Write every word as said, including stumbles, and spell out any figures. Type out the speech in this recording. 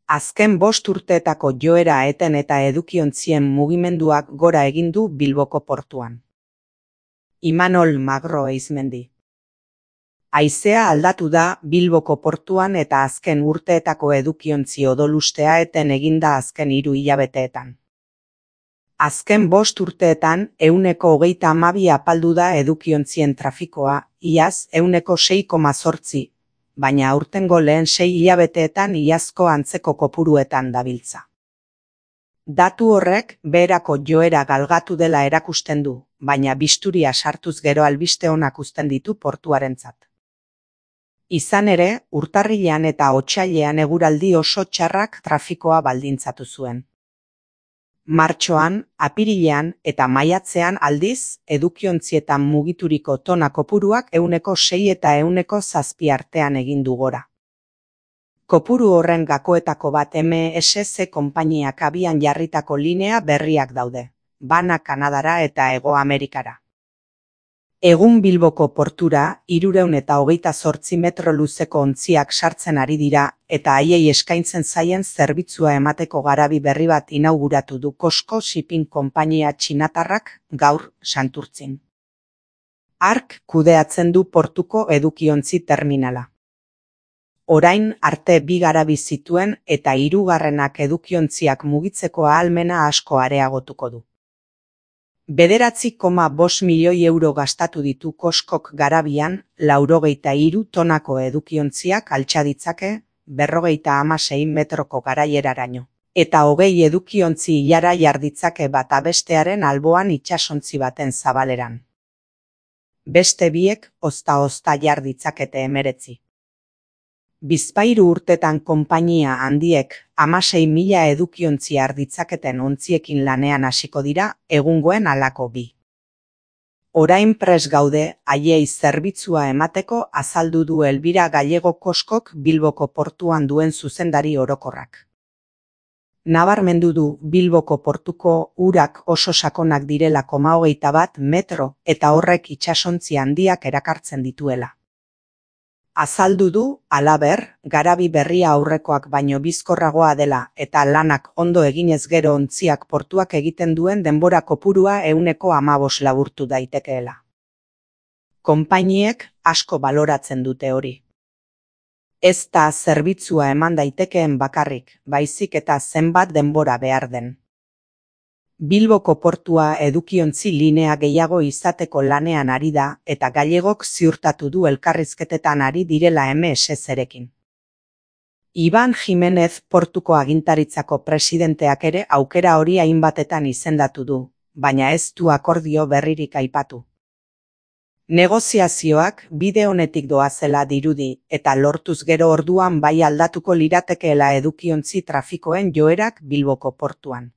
Azken bost urteetako joera eten eta edukiontzien mugimenduak gora egin du Bilboko portuan. Imanol Magro Eizmendi. Haizea aldatu da Bilboko portuan eta azken urteetako edukiontzi odolustea eten eginda azken hiru hilabeteetan. Azken bost urteetan ehuneko hogeita hamabi apaldu da edukiontzien trafikoa, iaz ehuneko sei koma zortzi, baina aurtengo lehen sei hilabeteetan iazko antzeko kopuruetan dabiltza. Datu horrek beherako joera galgatu dela erakusten du, baina bisturia sartuz gero albiste onak uzten ditu portuarentzat. Izan ere, urtarrilean eta otsailean eguraldi oso txarrak trafikoa baldintzatu zuen. Martxoan, apirilean eta maiatzean aldiz, edukiontzietan mugituriko tona kopuruak ehuneko sei eta ehuneko zazpi artean egin du gora. Kopuru horren gakoetako bat M S C konpainiak abian jarritako linea berriak daude, bana Kanadara eta Hego Amerikara. Egun Bilboko portura hirurehun eta hogeita zortzi metro luzeko ontziak sartzen ari dira eta haiei eskaintzen zaien zerbitzua emateko garabi berri bat inauguratu du COSCO Shipping konpainia txinatarrak gaur Santurtzin. Hark kudeatzen du portuko edukiontzi terminala. Orain arte bi garabi zituen eta hirugarrenak edukiontziak mugitzeko ahalmena asko areagotuko du. Bederatzi koma bost milioi euro gastatu ditu COSCOk garabian, laurogeita hiru tonako edukiontziak altxa ditzake, berrogeita hamasei metroko garaileraraino, eta hogei edukiontzi ilara jar ditzake bata bestearen alboan itsasontzi baten zabaleran. Beste biek ozta-ozta jar ditzakete hemeretzi. Bizpahiru urtetan konpainia handiek hamasei mila edukiontzi har ditzaketen ontziekin lanean hasiko dira egungoen halako bi. Orain prest gaude haiei zerbitzua emateko azaldu du Elbira Gallego COSCOk Bilboko portuan duen zuzendari orokorrak. Nabarmendu du Bilboko portuko urak oso sakonak direla koma hogeita bat metro eta horrek itsasontzi handiak erakartzen dituela. Azaldu du, halaber, garabi berria aurrekoak baino bizkorragoa dela eta lanak ondo eginez gero ontziak portuak egiten duen denbora kopurua ehuneko hamabost laburtu daitekeela. Konpainiek asko baloratzen dute hori. Ez da zerbitzua eman daitekeen bakarrik, baizik eta zenbat denbora behar den. Bilboko portua edukiontzi linea gehiago izateko lanean ari da eta Gallegok ziurtatu du elkarrizketetan ari direla M S C-rekin. Iban Jimenez portuko agintaritzako presidenteak ere aukera hori hainbatetan izendatu du, baina ez du akordio berririk aipatu. Negoziazioak bide honetik doazela dirudi eta lortuz gero orduan bai aldatuko liratekeela edukiontzi trafikoen joerak Bilboko portuan.